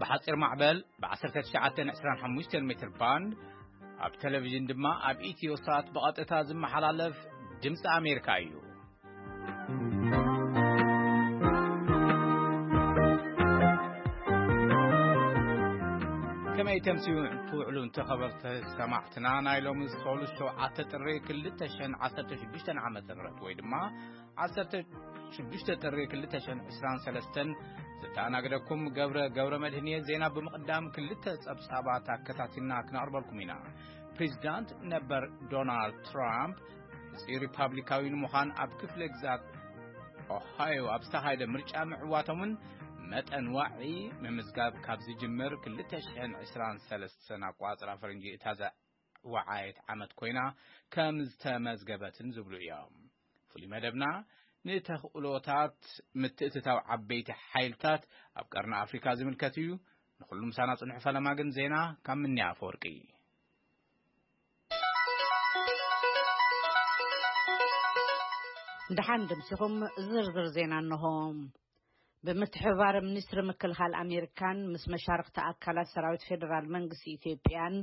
ብሓጺር ማዕበል ብ1925 ሜትር ባንድ፣ ኣብ ቴሌቪዥን ድማ ኣብ ኢትዮ ሳት ብቐጥታ ዝመሓላለፍ ድምፂ ኣሜሪካ እዩ። ከመይ ተምስዩ ትውዕሉ እንተኸበርቲ ሰማዕትና፣ ናይ ሎሚ ሰሉስ ሸውዓተ ጥሪ ክልተ ሽሕን ዓሰርተ ሽዱሽተን ዓመተ ምህረት ወይ ድማ ዓሰርተ ሽዱሽተ ጥሪ ክልተ ሽሕን ዕስራን ሰለስተን ዝተኣናገደኩም ገብረ ገብረ መድህን እየ። ዜና ብምቕዳም ክልተ ጸብጻባት ኣከታቲልና ክነቕርበልኩም ኢና። ፕሬዚዳንት ነበር ዶናልድ ትራምፕ እዚ ሪፓብሊካዊ ንምዃን ኣብ ክፍለ ግዛት ኦሃዮ ኣብ ዝተኻየደ ምርጫ ምዕዋቶምን መጠን ዋዒ ምምዝጋብ ካብ ዝጅምር ክልተ ሽሕን ዕስራን ሰለስተን ኣቋጽራ ፈረንጂ እታ ዘወዓየት ዓመት ኮይና ከም ዝተመዝገበትን ዝብሉ እዮም። ፍሉይ መደብና ንተኽእሎታት ምትእትታው ዓበይቲ ሓይልታት ኣብ ቀርኒ ኣፍሪካ ዝምልከት እዩ። ንኹሉ ምሳና ጽንሑ። ፈለማ ግን ዜና ካብ ምንያ ኣፈወርቂ። ደሓን ደምሲኹም ዝርዝር ዜና እንሆ። ብምትሕብባር ሚኒስትሪ ምክልኻል ኣሜሪካን ምስ መሻርኽቲ ኣካላት ሰራዊት ፌዴራል መንግስቲ ኢትዮጵያን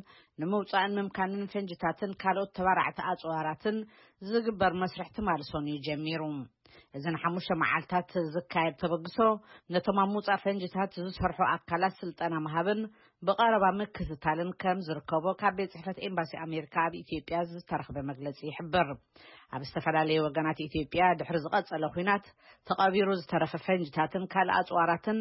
ንምውጻእን ምምካንን ፈንጅታትን ካልኦት ተባራዕቲ ኣጽዋራትን ዝግበር መስርሕ ትማሊ ሰኑይ ጀሚሩ። እዚ ንሓሙሽተ መዓልታት ዝካየድ ተበግሶ ነቶም ኣብ ምውጻእ ፈንጅታት ዝሰርሑ ኣካላት ስልጠና ምሃብን ብቐረባ ምክትታልን ከም ዝርከቦ ካብ ቤት ጽሕፈት ኤምባሲ ኣሜሪካ ኣብ ኢትዮጵያ ዝተረኽበ መግለጺ ይሕብር። ኣብ ዝተፈላለዩ ወገናት ኢትዮጵያ ድሕሪ ዝቐጸለ ኲናት ተቐቢሩ ዝተረፈ ፈንጅታትን ካልእ ኣጽዋራትን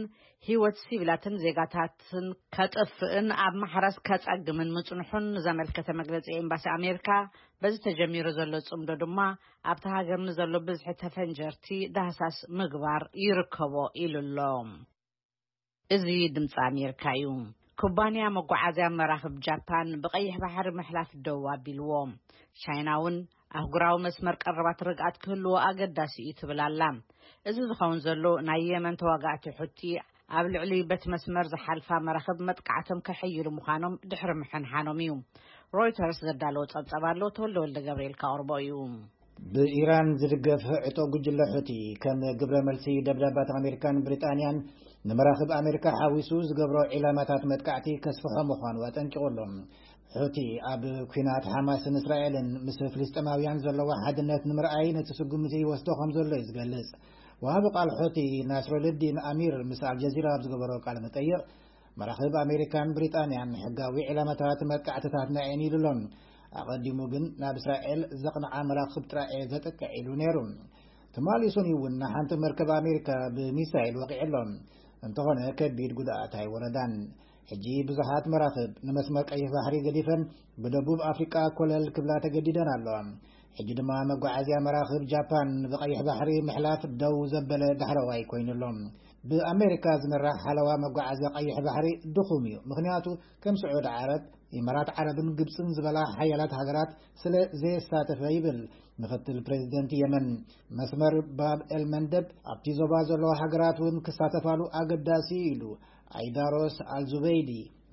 ህይወት ሲቪላትን ዜጋታትን ከጥፍእን ኣብ ማሕረስ ከጸግምን ምጽንሑን ዘመልከተ መግለጺ ኤምባሲ ኣሜሪካ፣ በዚ ተጀሚሩ ዘሎ ጽምዶ ድማ ኣብቲ ሃገር ንዘሎ ብዝሒ ተፈንጀርቲ ዳህሳስ ምግባር ይርከቦ ኢሉ ኣሎ። እዚ ድምፂ ኣሜሪካ እዩ። ኩባንያ መጓዓዝያ መራኽብ ጃፓን ብቐይሕ ባሕሪ ምሕላፍ ደው ኣቢልዎ። ቻይና እውን ኣህጉራዊ መስመር ቀረባት ርግኣት ክህልዎ ኣገዳሲ እዩ ትብል ኣላ። እዚ ዝኸውን ዘሎ ናይ የመን ተዋጋእቲ ሑቲ ኣብ ልዕሊ በቲ መስመር ዝሓልፋ መራኽብ መጥቃዕቶም ከሐይሉ ምዃኖም ድሕሪ ምሕንሓኖም እዩ። ሮይተርስ ዘዳለዎ ጸብጸብ ኣሎ፣ ተወልደ ወልደ ገብርኤል ካቕርቦ እዩ። ብኢራን ዝድገፍ ዕጡቕ ጉጅለ ሑቲ ከም ግብረ መልሲ ደብዳባት ኣሜሪካን ብሪጣንያን ንመራኽብ ኣሜሪካ ሓዊሱ ዝገብሮ ዒላማታት መጥቃዕቲ ከስፍሖ ምዃኑ ኣጠንቂቑ ኣሎ። ሑቲ ኣብ ኲናት ሓማስን እስራኤልን ምስ ፍልስጤማውያን ዘለዎ ሓድነት ንምርኣይ ነቲ ስጉምቲ ይወስዶ ከም ዘሎ እዩ ዝገልጽ። ወሃቢ ቃል ሑቲ ናስረልዲን ኣሚር ምስ ኣልጀዚራ ኣብ ዝገበሮ ቃለ መጠይቕ፣ መራኽብ ኣሜሪካን ብሪጣንያን ሕጋዊ ዒላማታት መጥቃዕትታትና እየን ኢሉ ኣሎ። ኣቐዲሙ ግን ናብ እስራኤል ዘቕንዓ መራኽብ ጥራይ እየ ዘጥቅዕ ኢሉ ነይሩ። ትማሊ ሰኑይ እውን ንሓንቲ መርከብ ኣሜሪካ ብሚሳይል ወቒዑ ኣሎ። እንተኾነ ከቢድ ጉድኣት ኣይወረዳን። ሕጂ ብዙሓት መራኽብ ንመስመር ቀይሕ ባሕሪ ገዲፈን ብደቡብ ኣፍሪቃ ኮለል ክብላ ተገዲደን ኣለዋ። ሕጂ ድማ መጓዓዝያ መራኽብ ጃፓን ብቐይሕ ባሕሪ ምሕላፍ ደው ዘበለ ዳሕረዋይ ኮይኑ ኣሎ። ብኣሜሪካ ዝምራሕ ሓለዋ መጓዓዝያ ቀይሕ ባሕሪ ድኹም እዩ። ምኽንያቱ ከም ስዑድ ዓረብ፣ ኢማራት ዓረብን ግብጽን ዝበላ ሓያላት ሃገራት ስለ ዘየሳተፈ ይብል ምኽትል ፕሬዚደንት የመን። መስመር ባብ ኤል መንደብ ኣብቲ ዞባ ዘለዋ ሃገራት እውን ክሳተፋሉ ኣገዳሲ እዩ ኢሉ ኣይዳሮስ ኣልዙበይዲ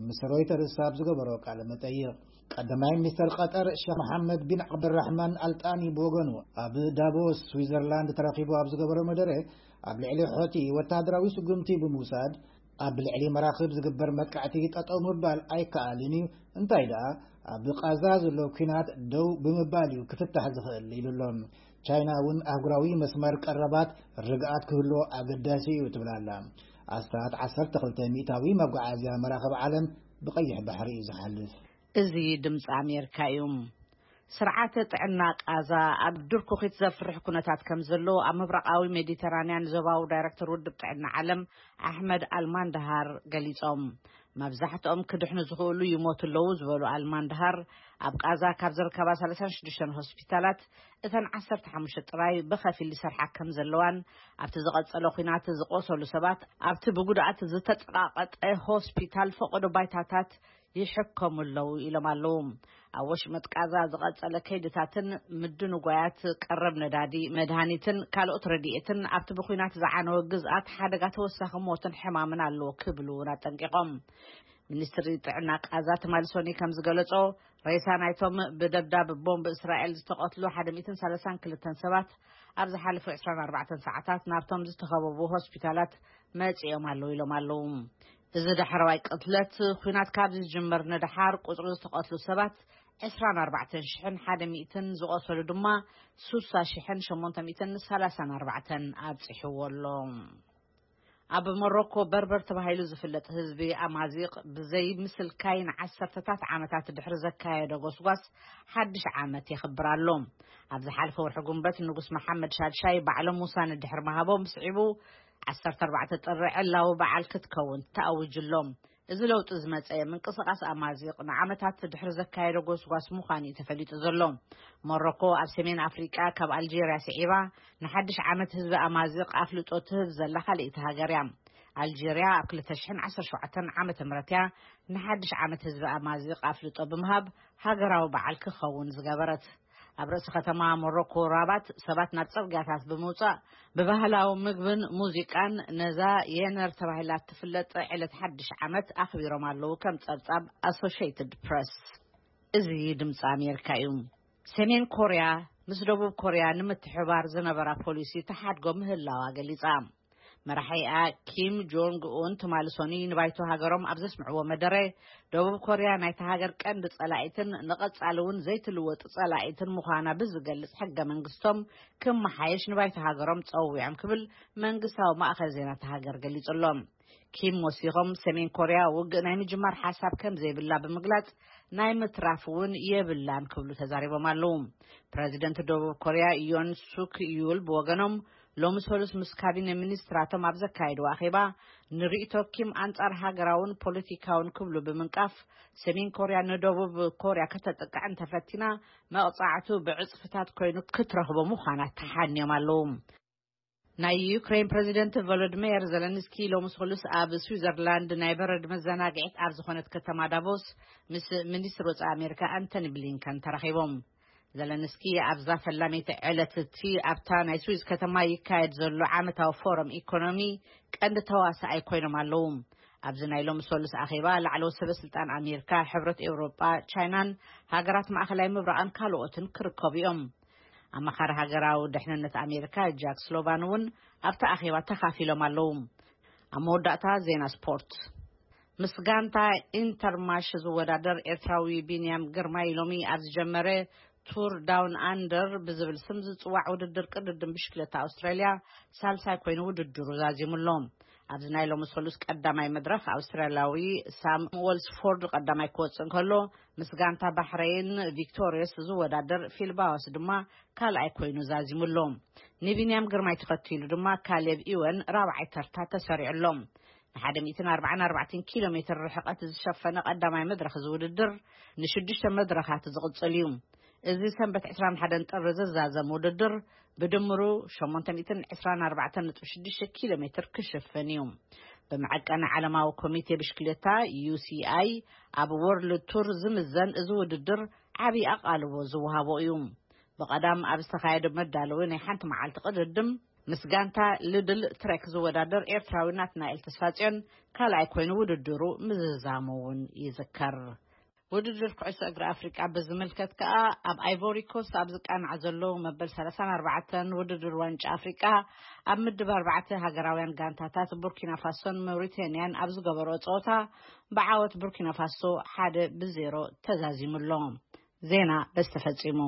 ምስ ሮይተርስ ኣብ ዝገበሮ ቃለ መጠይቕ። ቀዳማይ ሚኒስተር ቀጠር ሸኽ መሓመድ ቢን ዓብድራሕማን ኣልጣኒ ብወገኑ ኣብ ዳቮስ ስዊዘርላንድ ተረኺቡ ኣብ ዝገበሮ መደረ፣ ኣብ ልዕሊ ሖቲ ወታደራዊ ስጉምቲ ብምውሳድ ኣብ ልዕሊ መራኽብ ዝግበር መጥቃዕቲ ጠጠው ምባል ኣይከኣልን እዩ፣ እንታይ ደኣ ኣብ ቃዛ ዘሎ ኲናት ደው ብምባል እዩ ክፍታሕ ዝኽእል ኢሉ ኣሎ። ቻይና እውን ኣህጉራዊ መስመር ቀረባት ርግኣት ክህልዎ ኣገዳሲ እዩ ትብል ኣላ። ኣስታት ዓሰርተ ክልተ ሚእታዊ መጓዓዝያ መራኽብ ዓለም ብቐይሕ ባሕሪ እዩ ዝሓልፍ። እዚ ድምፂ ኣሜሪካ እዩ። ስርዓተ ጥዕና ቃዛ ኣብ ድርኩኺት ዘፍርሕ ኩነታት ከም ዘሎ ኣብ ምብራቓዊ ሜዲተራንያን ዞባዊ ዳይሬክተር ውድብ ጥዕና ዓለም ኣሕመድ ኣልማንድሃር ገሊጾም። መብዛሕትኦም ክድሕኑ ዝኽእሉ ይሞቱ ኣለዉ ዝበሉ ኣልማንድሃር፣ ኣብ ቃዛ ካብ ዝርከባ ሰላሳን ሽዱሽተን ሆስፒታላት እተን ዓሰርተ ሓሙሽተ ጥራይ ብኸፊል ይሰርሓ ከም ዘለዋን፣ ኣብቲ ዝቐጸለ ኲናት ዝቖሰሉ ሰባት ኣብቲ ብጉድኣት ዝተጸቓቐጠ ሆስፒታል ፈቐዶ ባይታታት ይሕከሙ ኣለዉ ኢሎም ኣለዉ። ኣብ ወሽመጥ ቃዛ ዝቐጸለ ከይድታትን ምድንጓያት ቀረብ ነዳዲ፣ መድሃኒትን ካልኦት ረድኤትን ኣብቲ ብኲናት ዝዓነወ ግዝኣት ሓደጋ ተወሳኺ ሞትን ሕማምን ኣለዎ ክብሉ እውን ኣጠንቂቖም። ሚኒስትሪ ጥዕና ቃዛ ትማሊ ሰኑይ ከም ዝገለጾ፣ ሬሳ ናይቶም ብደብዳብ ቦምብ እስራኤል ዝተቐትሉ ሓደ ሚእትን ሰላሳን ክልተን ሰባት ኣብ ዝሓለፉ ዕስራን ኣርባዕተን ሰዓታት ናብቶም ዝተኸበቡ ሆስፒታላት መጺኦም ኣለዉ ኢሎም ኣለዉ። እዚ ዳሕረዋይ ቅትለት፣ ኲናት ካብ ዝጅመር ንደሓር ቁጽሪ ዝተቐትሉ ሰባት ዕስራን ኣርባዕተን ሽሕን ሓደ ሚእትን፣ ዝቖሰሉ ድማ ስሳ ሽሕን ሸሞንተ ሚእትን ሰላሳን ኣርባዕተን ኣብጺሕዎ ኣሎ። ኣብ ሞሮኮ በርበር ተባሂሉ ዝፍለጥ ህዝቢ ኣማዚቕ ብዘይ ምስልካይ ንዓሰርተታት ዓመታት ድሕሪ ዘካየዶ ጎስጓስ ሓድሽ ዓመት የኽብር ኣሎ። ኣብ ዝሓለፈ ወርሒ ጉንበት ንጉስ መሓመድ ሻድሻይ ባዕሎም ውሳነ ድሕሪ ምሃቦም ስዒቡ ዓሰርተ ኣርባዕተ ጥሪ ዕላዊ በዓል ክትከውን ተኣዊጁ ኣሎ። እዚ ለውጢ ዝመጸ ምንቅስቓስ ኣማዚቕ ንዓመታት ድሕሪ ዘካየዶ ጎስጓስ ምዃኑ እዩ ተፈሊጡ ዘሎ። ሞሮኮ ኣብ ሰሜን ኣፍሪቃ ካብ ኣልጄርያ ስዒባ ንሓድሽ ዓመት ህዝቢ ኣማዚቕ ኣፍልጦ ትህብ ዘላ ካልኣይቲ ሃገር እያ። ኣልጄርያ ኣብ ክልተ ሽሕን ዓሰርተ ሸውዓተን ዓመተ ምህረት እያ ንሓድሽ ዓመት ህዝቢ ኣማዚቕ ኣፍልጦ ብምሃብ ሃገራዊ በዓል ክኸውን ዝገበረት። ኣብ ርእሲ ከተማ ሞሮኮ ራባት ሰባት ናብ ጽርግያታት ብምውጻእ ብባህላዊ ምግብን ሙዚቃን ነዛ የነር ተባሂላ እትፍለጥ ዕለት ሓድሽ ዓመት ኣኽቢሮም ኣለዉ፣ ከም ጸብጻብ ኣሶሽየትድ ፕረስ። እዚ ድምፂ ኣሜሪካ እዩ። ሰሜን ኮርያ ምስ ደቡብ ኮርያ ንምትሕባር ዝነበራ ፖሊሲ ተሓድጎ ምህላዋ ገሊጻ። መራሒኣ ኪም ጆንግ ኡን ትማሊ ሰኑይ ንባይቶ ሃገሮም ኣብ ዘስምዕዎ መደረ፣ ደቡብ ኮርያ ናይታ ሃገር ቀንዲ ጸላኢትን ንቐጻሊ እውን ዘይትልወጥ ጸላኢትን ምዃና ብዝገልጽ ሕገ መንግስቶም ክመሓየሽ ንባይቶ ሃገሮም ጸዊዖም ክብል መንግስታዊ ማእከል ዜና እታ ሃገር ገሊጹ ኣሎ። ኪም ወሲኾም ሰሜን ኮርያ ውግእ ናይ ምጅማር ሓሳብ ከም ዘይብላ ብምግላጽ ናይ ምትራፍ እውን የብላን ክብሉ ተዛሪቦም ኣለዉ። ፕረዚደንት ደቡብ ኮርያ ዮን ሱክ ዩል ብወገኖም ሎሚ ሰሉስ ምስ ካቢነ ሚኒስትራቶም ኣብ ዘካየድዎ ኣኼባ ንርእይቶ ኪም ኣንጻር ሃገራውን ፖለቲካውን ክብሉ ብምንቃፍ ሰሜን ኮርያ ንደቡብ ኮርያ ከተጥቅዕ እንተፈቲና መቕጻዕቱ ብዕጽፍታት ኮይኑ ክትረኽቦ ምዃና ተሓንዮም ኣለዉ። ናይ ዩክሬን ፕረዚደንት ቮሎዲሚር ዘለንስኪ ሎሚ ሰሉስ ኣብ ስዊዘርላንድ ናይ በረድ መዘናግዒት ኣብ ዝኾነት ከተማ ዳቮስ ምስ ሚኒስትር ወጻኢ ኣሜሪካ ኣንቶኒ ብሊንከን ተራኺቦም። ዘለንስኪ ኣብዛ ፈላመይቲ ዕለት እቲ ኣብታ ናይ ስዊዝ ከተማ ይካየድ ዘሎ ዓመታዊ ፎረም ኢኮኖሚ ቀንዲ ተዋሳኣይ ኮይኖም ኣለዉ። ኣብዚ ናይ ሎሚ ሰሉስ ኣኼባ ላዕለዎት ሰበ ስልጣን ኣሜሪካ፣ ሕብረት ኤውሮጳ፣ ቻይናን ሃገራት ማእኸላይ ምብራቕን ካልኦትን ክርከቡ እዮም። ኣማኻሪ ሃገራዊ ድሕንነት ኣሜሪካ ጃክ ስሎቫን እውን ኣብቲ ኣኼባ ተኻፊሎም ኣለዉ። ኣብ መወዳእታ ዜና ስፖርት። ምስ ጋንታ ኢንተርማሽ ዝወዳደር ኤርትራዊ ቢንያም ግርማይ ሎሚ ኣብ ዝጀመረ ቱር ዳውን ኣንደር ብዝብል ስም ዝጽዋዕ ውድድር ቅድድም ብሽክለታ ኣውስትራልያ ሳልሳይ ኮይኑ ውድድሩ ዛዚሙ ኣሎ። ኣብዚ ናይ ሎሚ ሰሉስ ቀዳማይ መድረኽ ኣውስትራልያዊ ሳም ወልስፎርድ ቀዳማይ ክወጽእ እንከሎ፣ ምስ ጋንታ ባሕረይን ቪክቶሪየስ ዝወዳደር ፊል ባወስ ድማ ካልኣይ ኮይኑ ዛዚሙ ኣሎ። ንቢንያም ግርማይ ተኸቲሉ ድማ ካሌብ ኢወን ራብዓይ ተርታ ተሰሪዑ ኣሎ። ንሓደ ሚእትን ኣርባዓን ኣርባዕተን ኪሎ ሜትር ርሕቐት ዝሸፈነ ቀዳማይ መድረኽ እዚ ውድድር ንሽዱሽተ መድረኻት ዝቕጽል እዩ። እዚ ሰንበት ዕስራን ሓደን ጥሪ ዝዛዘም ውድድር ብድምሩ ሸሞንተ ሚእትን ዕስራን ኣርባዕተን ነጥቢ ሽዱሽተ ኪሎ ሜትር ክሽፍን እዩ። ብመዐቀኒ ዓለማዊ ኮሚቴ ብሽክሌታ ዩ ሲ ኣይ ኣብ ወርልድ ቱር ዝምዘን እዚ ውድድር ዓብዪ ኣቓልቦ ዝወሃቦ እዩ። ብቐዳም ኣብ ዝተኻየደ መዳለዊ ናይ ሓንቲ መዓልቲ ቅድድም ምስ ጋንታ ልድል ትሬክ ዝወዳደር ኤርትራዊ ናትናኤል ተስፋጽዮን ካልኣይ ኮይኑ ውድድሩ ምዝዛሙ እውን ይዝከር። ውድድር ኩዕሶ እግሪ ኣፍሪቃ ብዝምልከት ከኣ ኣብ ኣይቮሪ ኮስት ኣብ ዝቃናዕ ዘሎ መበል ሰላሳን ኣርባዕተን ውድድር ዋንጫ ኣፍሪቃ ኣብ ምድብ ኣርባዕተ ሃገራውያን ጋንታታት ቡርኪና ፋሶን ሞሪቴንያን ኣብ ዝገበሮ ጸወታ ብዓወት ቡርኪና ፋሶ ሓደ ብዜሮ ተዛዚሙ ኣሎ። ዜና በዚ ተፈጺሙ።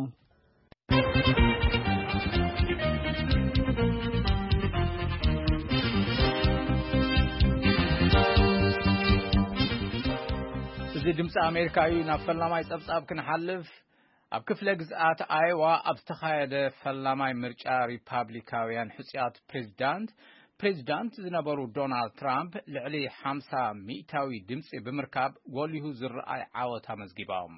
እዚ ድምፂ ኣሜሪካ እዩ። ናብ ፈላማይ ጸብጻብ ክንሓልፍ፣ ኣብ ክፍለ ግዝኣት ኣይዋ ኣብ ዝተኻየደ ፈላማይ ምርጫ ሪፓብሊካውያን ሕፁያት ፕሬዚዳንት፣ ፕሬዚዳንት ዝነበሩ ዶናልድ ትራምፕ ልዕሊ ሓምሳ ሚእታዊ ድምፂ ብምርካብ ጎሊሁ ዝረኣይ ዓወት ኣመዝጊቦም።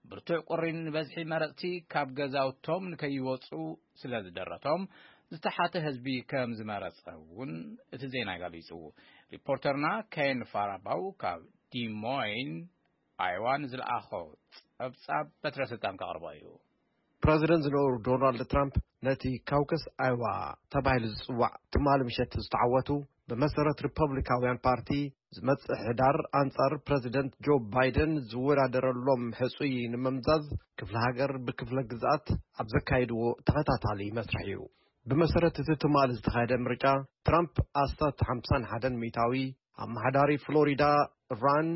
ብርቱዕ ቁሪ ንበዝሒ መረፅቲ ካብ ገዛውቶም ንከይወፁ ስለ ዝደረቶም ዝተሓተ ህዝቢ ከም ዝመረፀ እውን እቲ ዜና ገሊፁ። ሪፖርተርና ኬን ፋራባው ካብ ዲሞይን ኣይዋ ንዝለኣኾ ጸብጻብ በትረ ስልጣን ከቕርቦ እዩ። ፕረዚደንት ዝነበሩ ዶናልድ ትራምፕ ነቲ ካውከስ ኣይዋ ተባሂሉ ዝጽዋዕ ትማሊ ምሸት ዝተዓወቱ፣ ብመሰረት ሪፐብሊካውያን ፓርቲ ዝመጽእ ሕዳር ኣንጻር ፕረዚደንት ጆ ባይደን ዝወዳደረሎም ሕጹይ ንምምዛዝ ክፍለ ሃገር ብክፍለ ግዝኣት ኣብ ዘካየድዎ ተኸታታሊ መስርሕ እዩ። ብመሰረት እቲ ትማሊ ዝተኻየደ ምርጫ፣ ትራምፕ ኣስታት ሓምሳን ሓደን ሚእታዊ ኣመሓዳሪ ፍሎሪዳ ራን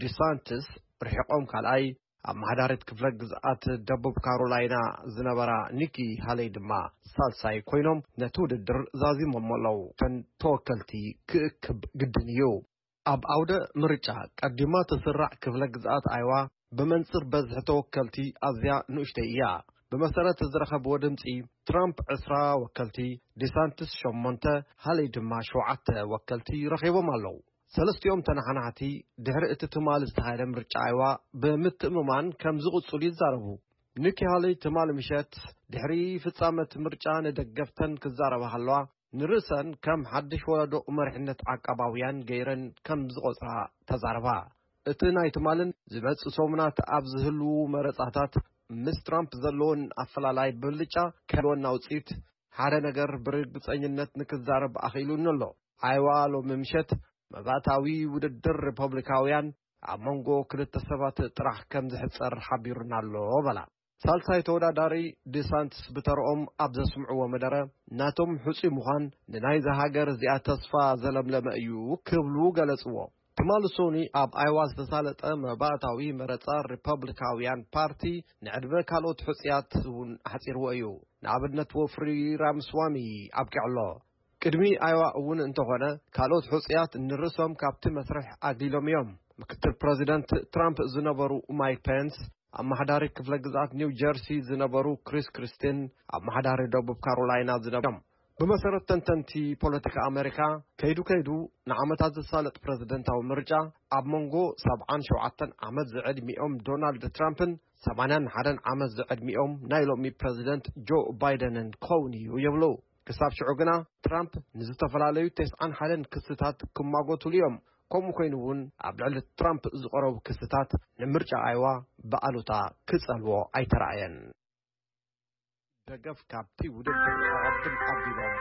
ዲሳንትስ ርሒቖም ካልኣይ፣ ኣመሓዳሪት ክፍለ ግዝኣት ደቡብ ካሮላይና ዝነበራ ኒኪ ሃለይ ድማ ሳልሳይ ኮይኖም ነቲ ውድድር ዛዚሞሞ ኣለዉ። እተን ተወከልቲ ክእክብ ግድን እዩ። ኣብ ኣውደ ምርጫ ቀዲማ ትስራዕ ክፍለ ግዝኣት ኣይዋ ብመንጽር በዝሒ ተወከልቲ ኣዝያ ንኡሽተይ እያ። ብመሰረት ዝረኸብዎ ድምጺ ትራምፕ ዕስራ ወከልቲ፣ ዲሳንትስ ሸሞንተ፣ ሃለይ ድማ ሸውዓተ ወከልቲ ረኺቦም ኣለዉ። ሰለስቲኦም ተነሓናሕቲ ድሕሪ እቲ ትማሊ ዝተኻየደ ምርጫ ኣይዋ ብምትእምማን ከም ዝቕጽሉ ይዛረቡ። ኒኪ ሃለይ ትማሊ ምሸት ድሕሪ ፍጻመ እቲ ምርጫ ንደገፍተን ክዛረባ ከለዋ፣ ንርእሰን ከም ሓድሽ ወለዶ መሪሕነት ዓቃባውያን ገይረን ከም ዝቖጽራ ተዛረባ። እቲ ናይ ትማልን ዝመጽእ ሰሙናት ኣብ ዝህልዉ መረጻታት ምስ ትራምፕ ዘለወን ኣፈላላይ ብልጫ ከልወና ውጽኢት ሓደ ነገር ብርግጸኝነት ንክዛረብ ኣኽኢሉኒ ኣሎ። ኣይዋ ሎሚ ምሸት መባእታዊ ውድድር ሪፐብሊካውያን ኣብ መንጎ ክልተ ሰባት ጥራሕ ከም ዝሕጸር ሓቢሩና ኣሎ በላ። ሳልሳይ ተወዳዳሪ ዲሳንትስ ብተረኦም ኣብ ዘስምዕዎ መደረ፣ ናቶም ሕጹይ ምዃን ንናይዛ ሃገር እዚኣ ተስፋ ዘለምለመ እዩ ክብሉ ገለጽዎ። ትማሊ ሶኒ ኣብ ኣይዋ ዝተሳለጠ መባእታዊ መረጻ ሪፐብሊካውያን ፓርቲ ንዕድመ ካልኦት ሕጹያት እውን ኣሕጺርዎ እዩ። ንኣብነት ወፍሪ ራምስዋሚ ኣብቂዑ ኣሎ። ቅድሚ ኣይዋ እውን እንተኾነ ካልኦት ሕጹያት ንርእሶም ካብቲ መስርሕ ኣግሊሎም እዮም። ምክትል ፕረዚደንት ትራምፕ ዝነበሩ ማይክ ፔንስ፣ ኣመሓዳሪ ክፍለ ግዝኣት ኒው ጀርሲ ዝነበሩ ክሪስ ክሪስቲን፣ ኣመሓዳሪ ደቡብ ካሮላይና ዝነበሩ እዮም። ብመሰረት ተንተንቲ ፖለቲካ ኣሜሪካ፣ ከይዱ ከይዱ ንዓመታት ዝሳለጥ ፕረዚደንታዊ ምርጫ ኣብ መንጎ ሰብዓን ሸውዓተን ዓመት ዝዕድሚኦም ዶናልድ ትራምፕን ሰማንያን ሓደን ዓመት ዝዕድሚኦም ናይ ሎሚ ፕረዚደንት ጆ ባይደንን ክኸውን እዩ ይብሉ። ክሳብ ሽዑ ግና ትራምፕ ንዝተፈላለዩ ተስዓን ሓደን ክስታት ክማጎትሉ እዮም። ከምኡ ኮይኑ እውን ኣብ ልዕሊ ትራምፕ ዝቐረቡ ክስታት ንምርጫ ኣይዋ ብኣሉታ ክጸልዎ ኣይተራእየን። ደገፍ ካብቲ ውድድር ኣቐድም ኣቢሎም።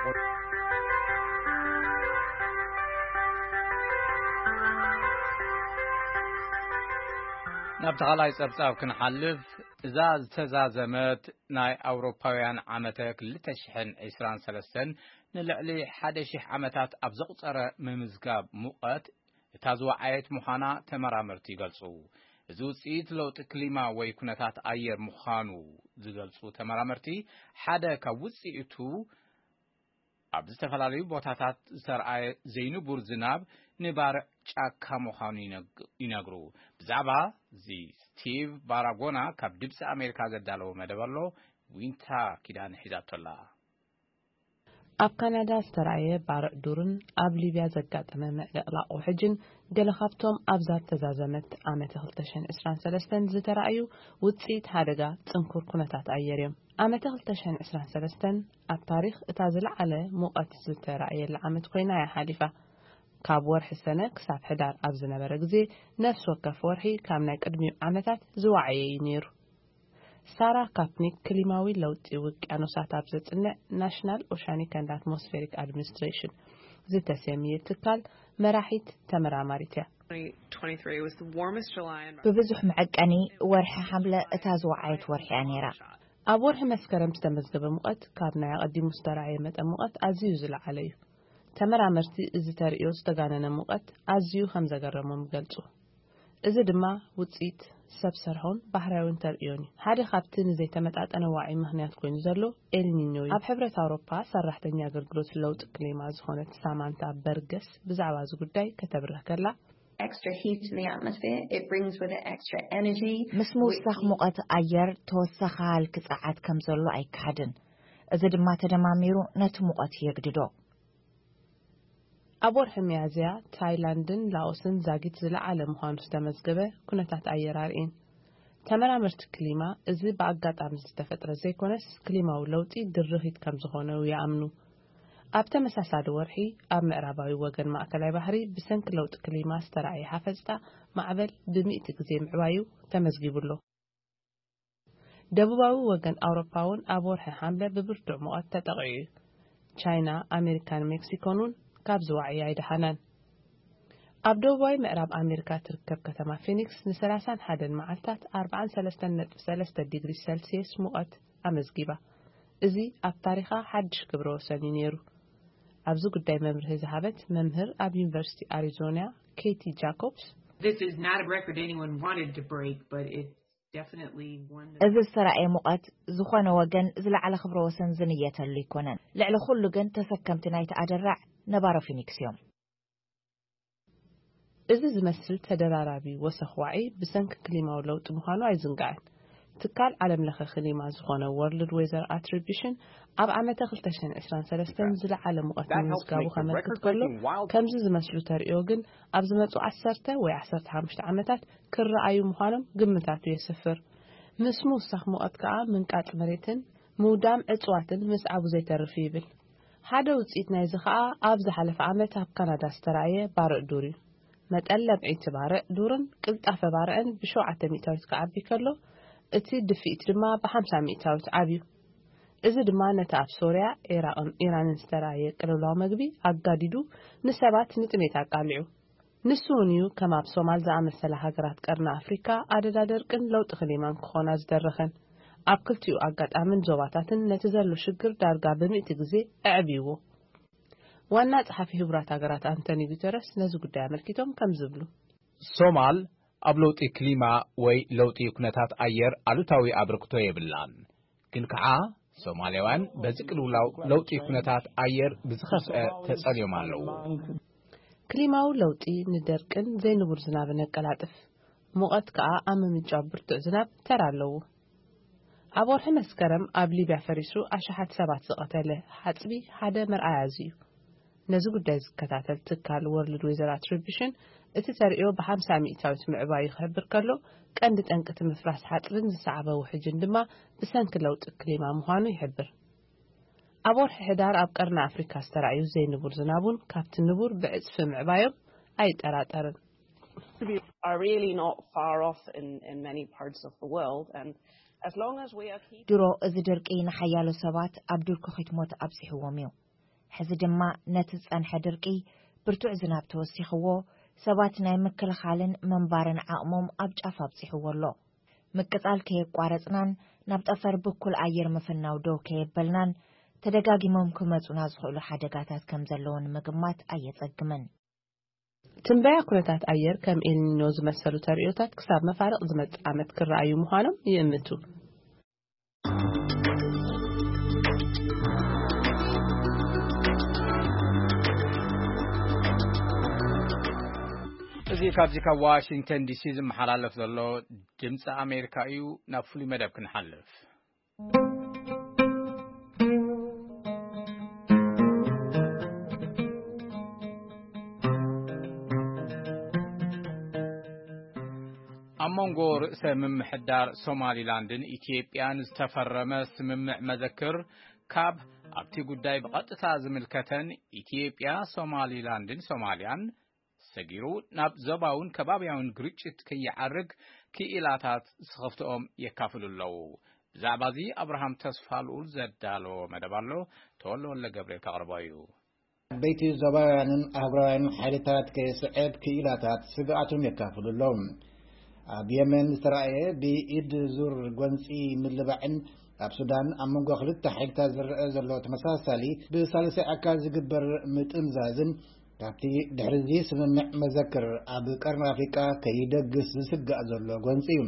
ናብ ተኻላይ ጸብጻብ ክንሓልፍ፣ እዛ ዝተዛዘመት ናይ ኣውሮፓውያን ዓመተ ክልተ ሽሕን ዕስራን ሰለስተን ንልዕሊ ሓደ ሺሕ ዓመታት ኣብ ዘቑጸረ ምምዝጋብ ሙቐት እታ ዝወዓየት ምዃና ተመራመርቲ ይገልጹ። እዚ ውጽኢት ለውጢ ክሊማ ወይ ኩነታት ኣየር ምዃኑ ዝገልጹ ተመራመርቲ፣ ሓደ ካብ ውጽኢቱ ኣብ ዝተፈላለዩ ቦታታት ዝተርኣየ ዘይንቡር ዝናብ ንባርዕ ጫካ ምዃኑ ይነግ-፣ ይነግሩ። ብዛዕባ እዚ ስቲቭ ባራጎና ካብ ድምፂ ኣሜሪካ ዘዳለዎ መደብ ኣሎ። ዊንታ ኪዳነ ሒዛቶ ኣላ። ኣብ ካናዳ ዝተራእየ ባርዕ ዱርን ኣብ ሊብያ ዘጋጠመ ምዕልቕላቕ ውሕጅን ገለ ካብቶም ኣብዛ ተዛዘመት ዓመተ ክልተ ሽሕን ዕስራን ሰለስተን ዝተራእዩ ውጽኢት ሓደጋ ጽንኩር ኩነታት ኣየር እዮም። ዓመተ ክልተ ሽሕን ዕስራን ሰለስተን ኣብ ታሪኽ እታ ዝለዓለ ሙቐት ዝተራእየላ ዓመት ኮይና እያ ሓሊፋ። ካብ ወርሒ ሰነ ክሳብ ሕዳር ኣብ ዝነበረ ግዜ ነፍሲ ወከፍ ወርሒ ካብ ናይ ቅድሚኡ ዓመታት ዝወዓየ እዩ ነይሩ። ሳራ ካፕኒክ ክሊማዊ ለውጢ ውቅያኖሳት ኣብ ዘጽንዕ ናሽናል ኦሻኒክ ኣንድ ኣትሞስፌሪክ ኣድሚኒስትሬሽን ዝተሰምየ ትካል መራሒት ተመራማሪት እያ። twenty-three was the warmest July in ብብዙሕ መዐቀኒ ወርሒ ሓምለ እታ ዝወዓየት ወርሒ እያ ነይራ። ኣብ ወርሒ መስከረም ዝተመዝገበ ሙቐት ካብ ናይ ኣቐዲሙ ዝተራእየ መጠን ሙቐት ኣዝዩ ዝለዓለ እዩ። ተመራመርቲ እዚ ተርእዮ ዝተጋነነ ሙቐት ኣዝዩ ከም ዘገረሞም ይገልጹ። እዚ ድማ ውጽኢት ሰብ ሰርሖን ባህርያውን ተርእዮን እዩ። ሓደ ካብቲ ንዘይተመጣጠነ ዋዒ ምኽንያት ኮይኑ ዘሎ ኤልኒኞ እዩ። ኣብ ሕብረት ኣውሮፓ ሰራሕተኛ ኣገልግሎት ለውጢ ክሊማ ዝኾነት ሳማንታ በርገስ ብዛዕባ እዚ ጉዳይ ከተብርህ ከላ፣ extra heat in the atmosphere, it brings with it extra energy. ምስ ምውሳኽ ሙቐት ኣየር ተወሳኺ ሃልኪ ጸዓት ከም ዘሎ ኣይከሓድን። እዚ ድማ ተደማሚሩ ነቲ ሙቐት የግድዶ። ኣብ ወርሒ ሚያዝያ ታይላንድን ላኦስን ዛጊት ዝለዓለ ምዃኑ ዝተመዝገበ ኩነታት ኣየር ኣርእየን። ተመራመርቲ ክሊማ እዚ ብኣጋጣሚ ዝተፈጥረ ዘይኮነስ ክሊማዊ ለውጢ ድርኺት ከም ዝኾነ ይኣምኑ። ኣብ ተመሳሳሊ ወርሒ ኣብ ምዕራባዊ ወገን ማእከላይ ባሕሪ ብሰንኪ ለውጢ ክሊማ ዝተራእየ ሓፈጽታ ማዕበል ብሚእቲ ግዜ ምዕባዩ ተመዝጊቡ ኣሎ። ደቡባዊ ወገን ኣውሮፓ እውን ኣብ ወርሒ ሓምለ ብብርቱዕ ሙቐት ተጠቒዑ እዩ። ቻይና፣ ኣሜሪካን ሜክሲኮን እውን ካብዚ ዋዒ ኣይደሓናን። ኣብ ደቡባዊ ምዕራብ ኣሜሪካ ትርከብ ከተማ ፊኒክስ ንሰላሳን ሓደን መዓልታት ኣርባዓን ሰለስተን ነጥቢ ሰለስተ ዲግሪ ሰልስየስ ሙቐት ኣመዝጊባ። እዚ ኣብ ታሪኻ ሓድሽ ክብረ ወሰን እዩ ነይሩ። ኣብዚ ጉዳይ መብርሂ ዝሃበት መምህር ኣብ ዩኒቨርሲቲ ኣሪዞና ኬቲ ጃኮብስ፣ This is not a record anyone wanted to break, but it's definitely one that እዚ ዝተራእየ ሙቐት ዝኾነ ወገን ዝለዓለ ክብረ ወሰን ዝንየተሉ ኣይኮነን። ልዕሊ ኩሉ ግን ተሰከምቲ ናይቲ ኣደራዕ ነባሮ ፊኒክስ እዮም። እዚ ዝመስል ተደራራቢ ወሰኽ ዋዒ ብሰንኪ ክሊማዊ ለውጢ ምዃኑ ኣይዝንጋዕን። ትካል ዓለም ለኸ ክሊማ ዝኾነ ወርልድ ዌዘር ኣትሪቢሽን ኣብ ዓመተ ክልተ ሽሕን ዕስራን ሰለስተን ዝለዓለ ሙቐት ምምዝጋቡ ከመልክት ከሎ፣ ከምዚ ዝመስሉ ተርእዮ ግን ኣብ ዝመጹ ዓሰርተ ወይ ዓሰርተ ሓሙሽተ ዓመታት ክረኣዩ ምዃኖም ግምታቱ የስፍር። ምስ ምውሳኽ ሙቐት ከኣ ምንቃጽ መሬትን ምውዳም እጽዋትን ምስዓቡ ዘይተርፍ እዩ ይብል። ሓደ ውጽኢት ናይዚ ከኣ ኣብ ዝሓለፈ ዓመት ኣብ ካናዳ ዝተራእየ ባርዕ ዱር እዩ። መጠን ለምዒ እቲ ባርዕ ዱርን ቅልጣፈ ባርዕን ብሸውዓተ ሚእታዊት ክዓቢ ከሎ፣ እቲ ድፍኢት ድማ ብሓምሳ ሚእታዊት ዓብዩ። እዚ ድማ ነቲ ኣብ ሶርያ፣ ዒራቕን ኢራንን ዝተራእየ ቅልውላው መግቢ ኣጋዲዱ ንሰባት ንጥሜት ኣቃሊዑ። ንሱ እውን እዩ ከም ኣብ ሶማል ዝኣመሰላ ሃገራት ቀርኒ ኣፍሪካ ኣደዳ ደርቅን ለውጢ ክሊማን ክኾና ዝደረኸን። ኣብ ክልቲኡ ኣጋጣምን ዞባታትን ነቲ ዘሎ ሽግር ዳርጋ ብሚእቲ ግዜ ኣዕብይዎ። ዋና ጸሓፊ ህቡራት ሃገራት ኣንቶኒ ጉተረስ ነዚ ጉዳይ ኣመልኪቶም ከም ዝብሉ፣ ሶማል ኣብ ለውጢ ክሊማ ወይ ለውጢ ኩነታት ኣየር ኣሉታዊ ኣበርክቶ የብላን። ግን ከዓ ሶማልያውያን በዚ ቅልውላው ለውጢ ኩነታት ኣየር ብዝኸፍአ ተጸልዮም ኣለዉ። ክሊማዊ ለውጢ ንደርቅን ዘይንቡር ዝናብን የቀላጥፍ። ሙቐት ከኣ ኣብ ምምንጫው ብርቱዕ ዝናብ ተራ ኣለዎ። ኣብ ወርሒ መስከረም ኣብ ሊብያ ፈሪሱ ኣሽሓት ሰባት ዝቐተለ ሓጽቢ ሓደ መርኣያ እዚ እዩ። ነዚ ጉዳይ ዝከታተል ትካል ወርልድ ዌዘር ኣትሪቢሽን እቲ ተርእዮ ብሓምሳ ሚእታዊት ምዕባዩ ክሕብር ከሎ፣ ቀንዲ ጠንቂ እቲ ምፍራስ ሓጽብን ዝሰዓበ ውሕጅን ድማ ብሰንኪ ለውጢ ክሊማ ምዃኑ ይሕብር። ኣብ ወርሒ ሕዳር ኣብ ቀርኒ ኣፍሪካ ዝተራእዩ ዘይንቡር ዝናብ እውን ካብቲ ንቡር ብዕጽፊ ምዕባዮም ኣይጠራጠርን። are really not far off in, in many parts of the world. And as long as we are keeping ድሮ እዚ ድርቂ ንሓያሎ ሰባት ኣብ ዱር ክኺት ሞት ኣብጺሕዎም እዩ። ሕዚ ድማ ነቲ ዝጸንሐ ድርቂ ብርቱዕ ዝናብ ተወሲኽዎ ሰባት ናይ ምክልኻልን ምንባርን ዓቕሞም ኣብ ጫፍ ኣብጺሕዎ ኣሎ። ምቅጻል ከየቋረጽናን ናብ ጠፈር ብኩል ኣየር ምፍናው ደው ከየበልናን ተደጋጊሞም ክመጹና ዝኽእሉ ሓደጋታት ከም ዘለዉ ንምግማት ኣየጸግምን። ትንበያ ኩነታት ኣየር ከም ኤልኒኖ ዝመሰሉ ተርእዮታት ክሳብ መፋርቕ ዝመጽእ ዓመት ክረኣዩ ምዃኖም ይእምቱ። እዚ ካብዚ ካብ ዋሽንግተን ዲሲ ዝመሓላለፍ ዘሎ ድምፂ ኣሜሪካ እዩ። ናብ ፍሉይ መደብ ክንሓልፍ። ኣብ መንጎ ርእሰ ምምሕዳር ሶማሊላንድን ኢትዮጵያን ዝተፈረመ ስምምዕ መዘክር፣ ካብ ኣብቲ ጉዳይ ብቐጥታ ዝምልከተን ኢትዮጵያ፣ ሶማሊላንድን ሶማልያን ሰጊሩ ናብ ዞባውን ከባብያውን ግርጭት ከይዓርግ ክኢላታት ስኽፍትኦም የካፍሉ ኣለዉ። ብዛዕባ እዚ ኣብርሃም ተስፋ ልኡል ዘዳለዎ መደብ ኣሎ፣ ተወልደ ወልደ ገብርኤል ከቕርቦ እዩ። ዓበይቲ ዞባውያንን ኣህጉራውያንን ሓይልታት ከየስዕብ ክኢላታት ስግኣቶም የካፍሉ ኣለዉ። ኣብ የመን ዝተራእየ ብኢድ ዙር ጎንፂ ምልባዕን ኣብ ሱዳን ኣብ መንጎ ክልተ ሓይልታት ዝረአ ዘሎ ተመሳሳሊ ብሳልሳይ ኣካል ዝግበር ምጥምዛዝን ካብቲ ድሕሪ እዚ ስምምዕ መዘክር ኣብ ቀርኒ ኣፍሪቃ ከይደግስ ዝስጋእ ዘሎ ጎንፂ እዩ።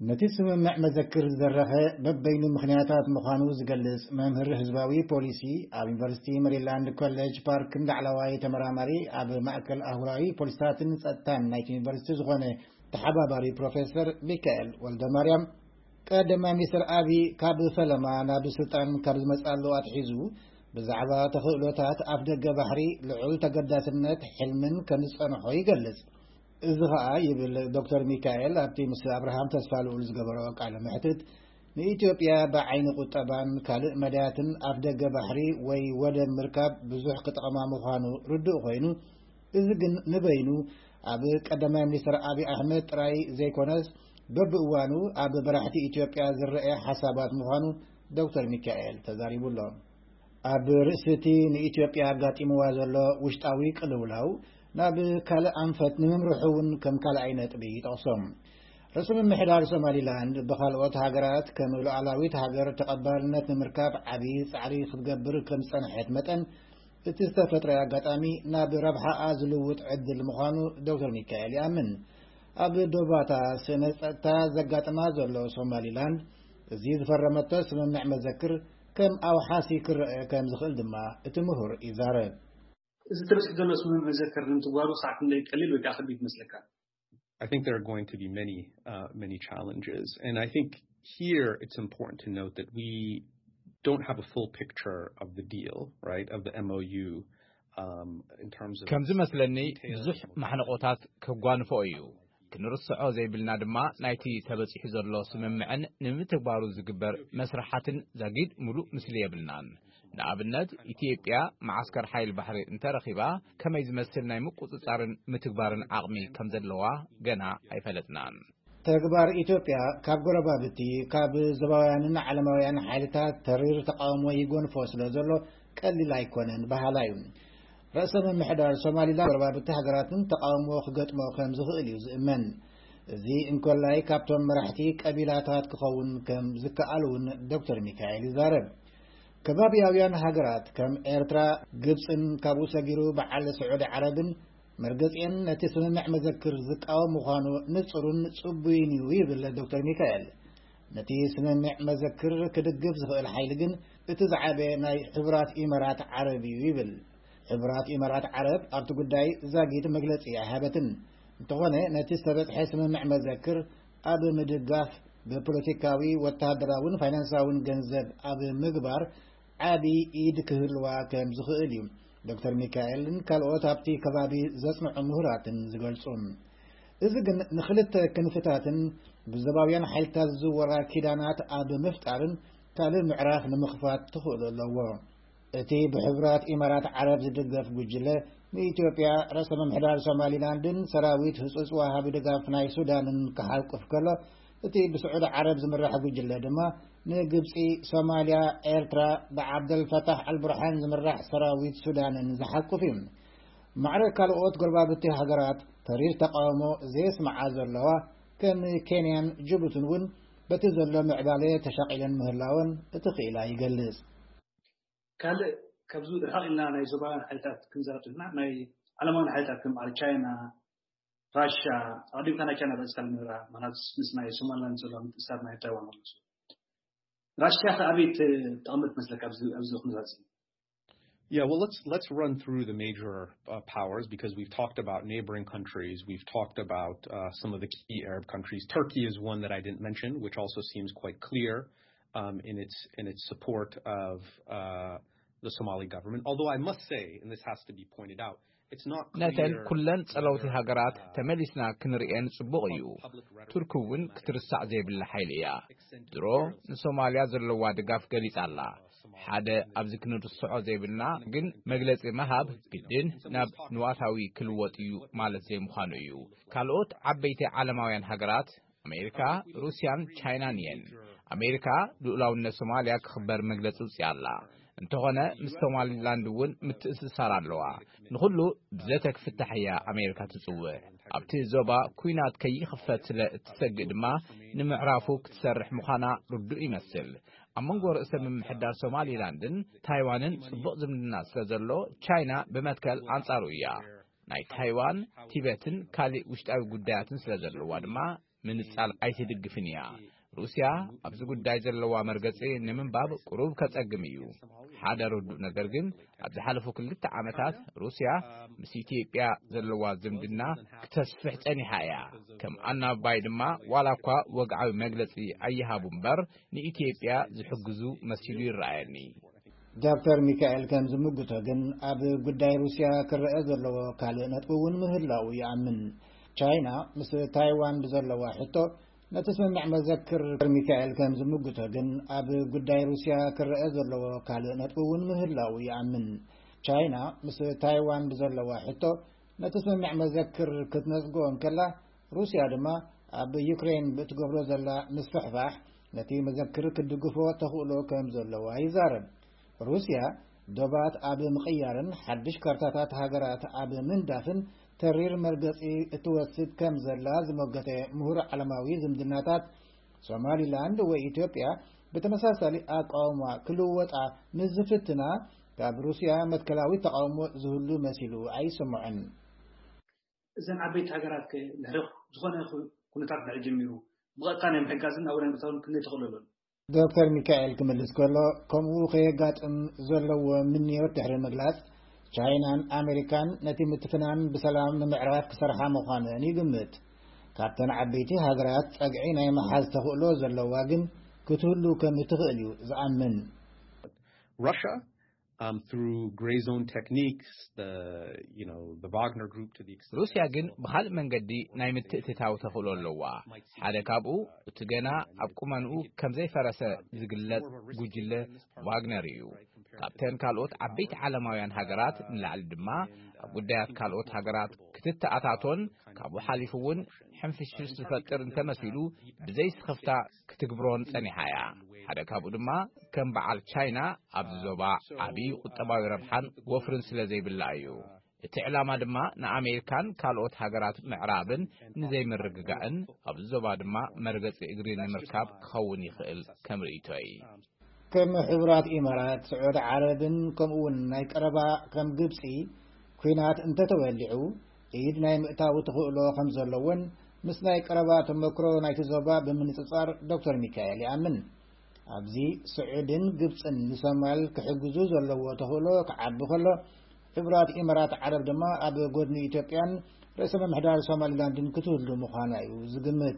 ነቲ ስምምዕ መዘክር ዝደረኸ በበይኑ ምኽንያታት ምዃኑ ዝገልጽ መምህር ህዝባዊ ፖሊሲ ኣብ ዩኒቨርሲቲ ሜሪላንድ ኮሌጅ ፓርክን ላዕለዋይ ተመራማሪ ኣብ ማእከል ኣህጉራዊ ፖሊሲታትን ጸጥታን ናይቲ ዩኒቨርሲቲ ዝኾነ ተሓባባሪ ፕሮፌሰር ሚካኤል ወልደማርያም፣ ቀዳማይ ሚኒስትር ኣቢ ካብ ፈለማ ናብ ስልጣን ካብ ዝመጽኣሉ ኣትሒዙ ብዛዕባ ተኽእሎታት ኣፍደገ ባሕሪ ልዑል ተገዳስነት ሕልምን ከም ዝጸንሖ ይገልጽ። እዚ ኸኣ ይብል ዶክተር ሚካኤል ኣብቲ ምስ ኣብርሃም ተስፋልኡል ዝገበሮ ቃለ መሕትት፣ ንኢትዮጵያ ብዓይኒ ቁጠባን ካልእ መዳያትን ኣፍደገ ባሕሪ ወይ ወደብ ምርካብ ብዙሕ ክጠቕማ ምዃኑ ርዱእ ኮይኑ፣ እዚ ግን ንበይኑ ኣብ ቀዳማይ ሚኒስትር ኣብይ ኣሕመድ ጥራይ ዘይኮነስ በብእዋኑ ኣብ መራሕቲ ኢትዮጵያ ዝረአ ሓሳባት ምዃኑ ዶክተር ሚካኤል ተዛሪቡ ኣሎ። ኣብ ርእሲ እቲ ንኢትዮጵያ ኣጋጢምዋ ዘሎ ውሽጣዊ ቅልውላው ናብ ካልእ ኣንፈት ንምምርሑ እውን ከም ካልኣይ ነጥቢ ይጠቕሶም። ርእሰ ምምሕዳር ሶማሊላንድ ብኻልኦት ሃገራት ከም ሉዓላዊት ሃገር ተቐባልነት ንምርካብ ዓብዪ ጻዕሪ ክትገብር ከም ዝጸንሐት መጠን፣ እቲ ዝተፈጥረ ኣጋጣሚ ናብ ረብሓኣ ዝልውጥ ዕድል ምዃኑ ዶክተር ሚካኤል ይኣምን። ኣብ ዶባታ ስነ ጸጥታ ዘጋጥማ ዘሎ ሶማሊላንድ፣ እዚ ዝፈረመቶ ስምምዕ መዘክር ከም ኣውሓሲ ክረአ ከም ዝኽእል ድማ እቲ ምሁር ይዛረብ። እዚ ተበፂሑ ዘሎ ስምምዕ መዘክር ንምትግባሩ ክሳዕ ክንደይ ቀሊል ወይ ከዓ ከቢድ ይመስለካ? I think there are going to be many, uh, many challenges. And I think here it's important to note that we don't have a full picture of the deal, right, of the M O U, um, in terms of ከም ዝመስለኒ ብዙሕ ማሕነቆታት ከጓንፎ እዩ። ክንርስዖ ዘይብልና ድማ ናይቲ ተበፂሑ ዘሎ ስምምዕን ንምትግባሩ ዝግበር መስርሓትን ዛጊድ ሙሉእ ምስሊ የብልናን። ንኣብነት ኢትዮጵያ መዓስከር ሓይል ባሕሪ እንተረኺባ ከመይ ዝመስል ናይ ምቁፅፃርን ምትግባርን ዓቕሚ ከም ዘለዋ ገና ኣይፈለጥናን። ተግባር ኢትዮጵያ ካብ ጎረባብቲ፣ ካብ ዞባውያንን ዓለማውያን ሓይልታት ተሪር ተቃውሞ ይጎንፎ ስለ ዘሎ ቀሊል ኣይኮነን በሃላ እዩ። ርእሰ ምምሕዳር ሶማሊላንድ ጎረባብቲ ሃገራትን ተቃውሞ ክገጥሞ ከም ዝኽእል እዩ ዝእመን። እዚ እንኮላይ ካብቶም መራሕቲ ቀቢላታት ክኸውን ከም ዝከኣል እውን ዶክተር ሚካኤል ይዛረብ። ከባቢያውያን ሃገራት ከም ኤርትራ፣ ግብፅን ካብኡ ሰጊሩ በዓል ስዑዲ ዓረብን መርገፂኤን ነቲ ስምምዕ መዘክር ዝቃወም ምዃኑ ንፁርን ፅቡይን እዩ ይብል ዶክተር ሚካኤል። ነቲ ስምምዕ መዘክር ክድግፍ ዝኽእል ሓይሊ ግን እቲ ዝዓበየ ናይ ሕቡራት ኢመራት ዓረብ እዩ ይብል። ሕቡራት ኢመራት ዓረብ ኣብቲ ጉዳይ ዛጊት መግለፂ ኣይሃበትን። እንተኾነ ነቲ ዝተበፅሐ ስምምዕ መዘክር ኣብ ምድጋፍ ብፖለቲካዊ፣ ወተሃደራውን ፋይናንሳውን ገንዘብ ኣብ ምግባር ዓቢ ኢድ ክህልዋ ከም ዝኽእል እዩ ዶክተር ሚካኤልን ካልኦት ኣብቲ ከባቢ ዘጽንዑ ምሁራትን ዝገልጹ። እዚ ግን ንኽልተ ክንፍታትን ብዘባውያን ሓይልታት ዝዝወራ ኪዳናት ኣብ ምፍጣርን ካልእ ምዕራፍ ንምኽፋት ትኽእሉ ኣለዎ። እቲ ብሕቡራት ኢማራት ዓረብ ዝድገፍ ጉጅለ ንኢትዮጵያ ርእሰ ምምሕዳር ሶማሊላንድን ሰራዊት ህጹጽ ወሃቢ ድጋፍ ናይ ሱዳንን ክሓቁፍ ከሎ፣ እቲ ብስዑዲ ዓረብ ዝምራሕ ጉጅለ ድማ ንግብጺ፣ ሶማልያ፣ ኤርትራ ብዓብደልፈታሕ ኣልቡርሃን ዝምራሕ ሰራዊት ሱዳንን ዝሓቁፍ እዩ። ማዕረ ካልኦት ጎረባብቲ ሃገራት ተሪር ተቃውሞ ዘየስምዓ ዘለዋ ከም ኬንያን ጅቡትን እውን በቲ ዘሎ ምዕባለ ተሻቒለን ምህላወን እቲ ክኢላ ይገልጽ። ካልእ ካብዚ ርሕቕ ኢልና ናይ ዞባውያን ሓይልታት ክንዛረብ ከለና ናይ ዓለማውያን ሓይልታት ከም በዓል ቻይና፣ ራሽያ፣ ኣቐዲምካ ናይ ቻይና ጠቒስካ ንራ ማለት ምስ ናይ ሶማሊላንድ ዘሎ ምትእስሳር ናይ ታይዋን ኣሎ። ራሽያ ከ ኣበይ ት- ተቐምጥ መስለካ ኣብዚ ኣብዚ ኩነታት እዚ? Yeah, well, let's let's run through the major uh, powers because we've talked about neighboring countries. We've talked about uh, some of the key Arab countries. Turkey is one that I didn't mention, which also seems quite clear um, in its in its support of uh, the Somali government. Although I must say, and this has to be pointed out, it's not ነተን clear ኩለን ጸለውቲ whether, ሃገራት uh, ተመሊስና ክንርእየን ጽቡቕ እዩ። public rhetoric ቱርኪ እውን ክትርሳዕ ዘይብላ ሓይሊ እያ። ድሮ ንሶማልያ ዘለዋ ድጋፍ ገሊጻ ኣላ። ሓደ ኣብዚ ክንርስዖ ዘይብልና ግን መግለጺ ምሃብ ግድን ናብ ንዋታዊ ክልወጥ እዩ ማለት ዘይምዃኑ እዩ። ካልኦት ዓበይቲ ዓለማውያን ሃገራት ኣሜሪካ፣ ሩስያን ቻይናን እየን። ኣሜሪካ ልኡላውነት ሶማልያ ክኽበር መግለጺ ውፅያ ኣላ። እንተኾነ ምስ ሶማሊላንድ እውን ምትእስሳር ኣለዋ። ንኹሉ ብዘተ ክፍታሕ እያ ኣሜሪካ ትጽውዕ። ኣብቲ ዞባ ኲናት ከይኽፈት ስለ እትሰግእ ድማ ንምዕራፉ ክትሰርሕ ምዃና ርዱእ ይመስል። ኣብ መንጎ ርእሰ ምምሕዳር ሶማሊላንድን ታይዋንን ጽቡቕ ዝምድና ስለ ዘሎ ቻይና ብመትከል ኣንጻሩ እያ። ናይ ታይዋን፣ ቲበትን ካልእ ውሽጣዊ ጉዳያትን ስለ ዘለዋ ድማ ምንጻል ኣይትድግፍን እያ። ሩስያ ኣብዚ ጉዳይ ዘለዋ መርገጺ ንምንባብ ቁሩብ ከጸግም እዩ። ሓደ ርዱእ ነገር ግን ኣብ ዝሓለፉ ክልተ ዓመታት ሩስያ ምስ ኢትዮጵያ ዘለዋ ዝምድና ክተስፍሕ ጸኒሓ እያ። ከም ኣናባይ ድማ ዋላ እኳ ወግዓዊ መግለጺ ኣይሃቡ እምበር ንኢትዮጵያ ዝሕግዙ መሲሉ ይረኣየኒ። ዶክተር ሚካኤል ከም ዝምጉቶ ግን ኣብ ጉዳይ ሩስያ ክረአ ዘለዎ ካልእ ነጥቢ እውን ምህላው ይኣምን። ቻይና ምስ ታይዋን ብዘለዋ ሕቶ ነቲ ስምምዕ መዘክር ሚካኤል ከም ዝምጉቶ ግን ኣብ ጉዳይ ሩስያ ክረአ ዘለዎ ካልእ ነጥቢ እውን ምህላው ይኣምን። ቻይና ምስ ታይዋን ብዘለዋ ሕቶ ነቲ ስምምዕ መዘክር ክትነጽጎ እንከላ፣ ሩስያ ድማ ኣብ ዩክሬን ብእትገብሮ ዘላ ምስፍሕፋሕ ነቲ መዘክር ክትድግፎ ተኽእሎ ከም ዘለዋ ይዛረብ። ሩስያ ዶባት ኣብ ምቕያርን ሓድሽ ካርታታት ሃገራት ኣብ ምንዳፍን ተሪር መርገጺ እትወስድ ከም ዘላ ዝሞገተ ምሁር ዓለማዊ ዝምድናታት፣ ሶማሊላንድ ወይ ኢትዮጵያ ብተመሳሳሊ ኣቃውማ ክልወጣ ምስ ዝፍትና፣ ካብ ሩስያ መትከላዊ ተቓውሞ ዝህሉ መሲሉ ኣይስምዖን። እዘን ዓበይቲ ሃገራት ከ ድሕሪ ዝኾነ ኩ-፣ ኩነታት ድሕሪ ጀሚሩ ብቐጥታ ናይ ምሕጋዝን ናብኡ ናይ ምእታውን ክንደይ ተኽእሎ ኣሎ? ዶክተር ሚካኤል ክምልስ ከሎ፣ ከምኡ ከየጋጥም ዘለዎ ምንዮት ድሕሪ ምግላጽ፣ ቻይናን ኣሜሪካን ነቲ ምትፍናን ብሰላም ንምዕራፍ ክሰርሓ ምዃነን ይግምት። ካብተን ዓበይቲ ሃገራት ጸግዒ ናይ ምሓዝ ተኽእሎ ዘለዋ ግን ክትህሉ ከም እትኽእል እዩ ዝኣምን። Russia, um, through gray zone techniques, the, you know, the Wagner Group to the extent ሩስያ ግን ብኻልእ መንገዲ ናይ ምትእትታው ተኽእሎ ኣለዋ። ሓደ ካብኡ እቲ ገና ኣብ ቁመንኡ ከም ዘይፈረሰ ዝግለጽ ጉጅለ ቫግነር እዩ። ካብተን ካልኦት ዓበይቲ ዓለማውያን ሃገራት ንላዕሊ ድማ ኣብ ጉዳያት ካልኦት ሃገራት ክትተኣታቶን ካብኡ ሓሊፉ እውን ሕንፍሽፍሽ ዝፈጥር እንተመሲሉ ብዘይስኽፍታ ክትግብሮን ጸኒሓ እያ። ሓደ ካብኡ ድማ ከም በዓል ቻይና ኣብዚ ዞባ ዓብዪ ቁጠባዊ ረብሓን ወፍርን ስለ ዘይብላ እዩ። እቲ ዕላማ ድማ ንኣሜሪካን ካልኦት ሃገራት ምዕራብን ንዘይምርግጋእን ኣብዚ ዞባ ድማ መርገጺ እግሪ ንምርካብ ክኸውን ይኽእል ከም ርእይቶይ። ከም ሕቡራት ኢማራት፣ ስዑዲ ዓረብን ከምኡ እውን ናይ ቀረባ ከም ግብጺ ኲናት እንተተወሊዑ ኢድ ናይ ምእታው ተኽእሎ ከም ዘለዎን ምስ ናይ ቀረባ ተመክሮ ናይቲ ዞባ ብምንጽጻር ዶክተር ሚካኤል ይኣምን። ኣብዚ ስዑድን ግብጽን ንሶማል ክሕግዙ ዘለዎ ተኽእሎ ክዓቢ ከሎ፣ ሕቡራት ኢማራት ዓረብ ድማ ኣብ ጎድኒ ኢትዮጵያን ርእሰ ምምሕዳር ሶማሊላንድን ክትህሉ ምዃና እዩ ዝግምት።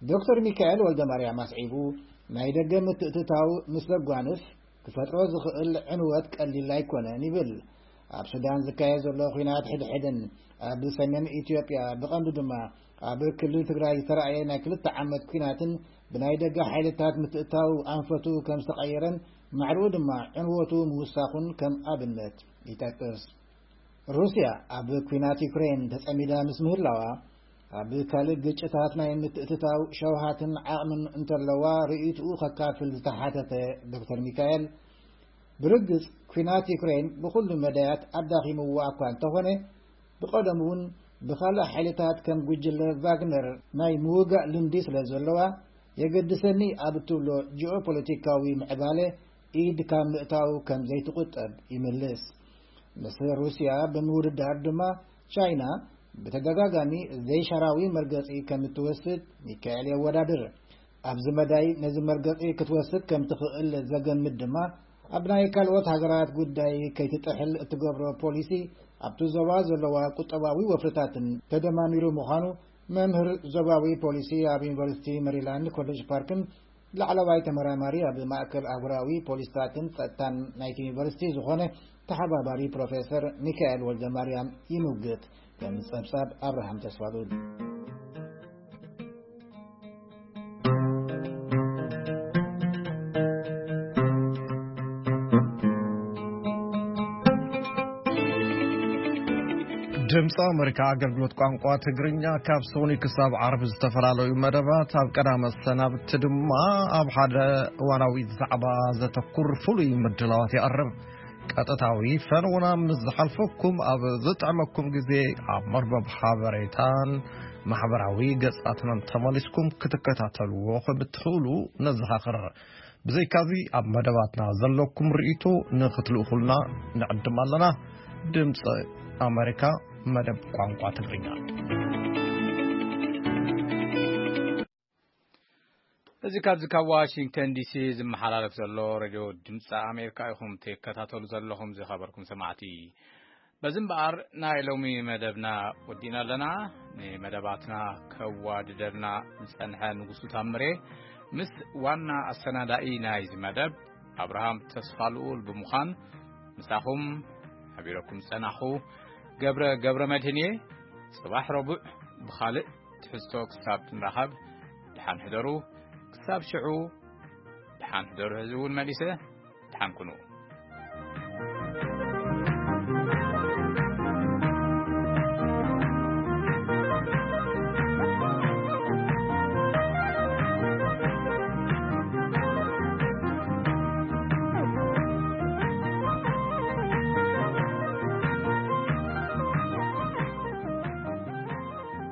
ዶክተር ሚካኤል ወልደማርያም ኣስዒቡ፣ ናይ ደገ ምትእትታው ምስ ዘጓንፍ ክፈጥሮ ዝኽእል ዕንወት ቀሊል ኣይኮነን ይብል። ኣብ ሱዳን ዝካየድ ዘሎ ኲናት ሕድሕድን ኣብ ሰሜን ኢትዮጵያ ብቐንዱ ድማ ኣብ ክልል ትግራይ ዝተራእየ ናይ ክልተ ዓመት ኲናትን ብናይ ደገ ሓይልታት ምትእታው ኣንፈቱ ከም ዝተቐየረን ማዕርኡ ድማ ዕንወቱ ምውሳኹን ከም ኣብነት ይጠቅስ። ሩስያ ኣብ ኲናት ዩክሬን ተጸሚዳ ምስ ምህላዋ፣ ኣብ ካልእ ግጭታት ናይ ምትእትታው ሸውሃትን ዓቕምን እንተለዋ ርእይትኡ ከካፍል ዝተሓተተ ዶክተር ሚካኤል፣ ብርግጽ ኲናት ዩክሬን ብኹሉ መዳያት ኣዳኺምዎ እኳ እንተኾነ፣ ብቐደሙ እውን ብኻልእ ሓይልታት ከም ጉጅለ ቫግነር ናይ ምውጋእ ልምዲ ስለ ዘለዋ፣ የገድሰኒ ኣብ እትብሎ ጂኦፖለቲካዊ ምዕባለ ኢድ ካብ ምእታው ከም ዘይትቑጠብ ይምልስ። ምስ ሩስያ ብምውድዳር ድማ ቻይና ብተደጋጋሚ ዘይሻራዊ መርገጺ ከም እትወስድ ሚካኤል የወዳድር። ኣብዚ መዳይ ነዚ መርገጺ ክትወስድ ከም ትኽእል ዘገምት ድማ ኣብ ናይ ካልኦት ሃገራት ጉዳይ ከይትጥሕል እትገብሮ ፖሊሲ ኣብቲ ዞባ ዘለዋ ቁጠባዊ ወፍርታትን ተደማሚሩ ምዃኑ መምህር ዞባዊ ፖሊሲ ኣብ ዩኒቨርሲቲ መሪላንድ ኮሌጅ ፓርክን ላዕለዋይ ተመራማሪ ኣብ ማእከል ኣህጉራዊ ፖሊስታትን ጸጥታን ናይቲ ዩኒቨርሲቲ ዝኾነ ተሓባባሪ ፕሮፌሰር ሚካኤል ወልደማርያም ይምውግት። ከም ጸብጻብ ኣብርሃም ተስፋሉል። ድምፂ ኣሜሪካ ኣገልግሎት ቋንቋ ትግርኛ ካብ ሰኒ ክሳብ ዓርቢ ዝተፈላለዩ መደባት፣ ኣብ ቀዳመ ሰናብቲ ድማ ኣብ ሓደ እዋናዊ ዛዕባ ዘተኩር ፍሉይ ምድላዋት የቕርብ። ቀጥታዊ ፈነውና ምስ ዝሓልፈኩም ኣብ ዝጥዕመኩም ግዜ ኣብ መርበብ ሓበሬታን ማሕበራዊ ገጻትናን ተመሊስኩም ክትከታተልዎ ከም እትኽእሉ ነዘኻኽር። ብዘይካዚ ኣብ መደባትና ዘለኩም ርእይቶ ንኽትልእኹልና ንዕድም ኣለና። ድምፂ ኣሜሪካ መደብ ቋንቋ ትግርኛ። እዚ ካብዚ ካብ ዋሽንግተን ዲሲ ዝመሓላለፍ ዘሎ ሬድዮ ድምፂ ኣሜሪካ ኢኹም ትከታተሉ ዘለኹም ዝኸበርኩም ሰማዕቲ። በዚ እምበኣር ናይ ሎሚ መደብና ወዲእና ኣለና። ንመደባትና ከዋድደልና ዝጸንሐ ንጉሱ ታምሬ ምስ ዋና ኣሰናዳኢ ናይዚ መደብ ኣብርሃም ተስፋልኡል ብምዃን ምሳኹም ሓቢረኩም ዝጸናኹ ገብረ ገብረ መድህን እየ። ጽባሕ ረቡዕ ብኻልእ ትሕዝቶ ክሳብ ንራኸብ ደሓን ሕደሩ። ክሳብ ሽዑ ደሓን ሕደሩ። ሕዚ እውን መሊሰ ደሓን ኩኑ።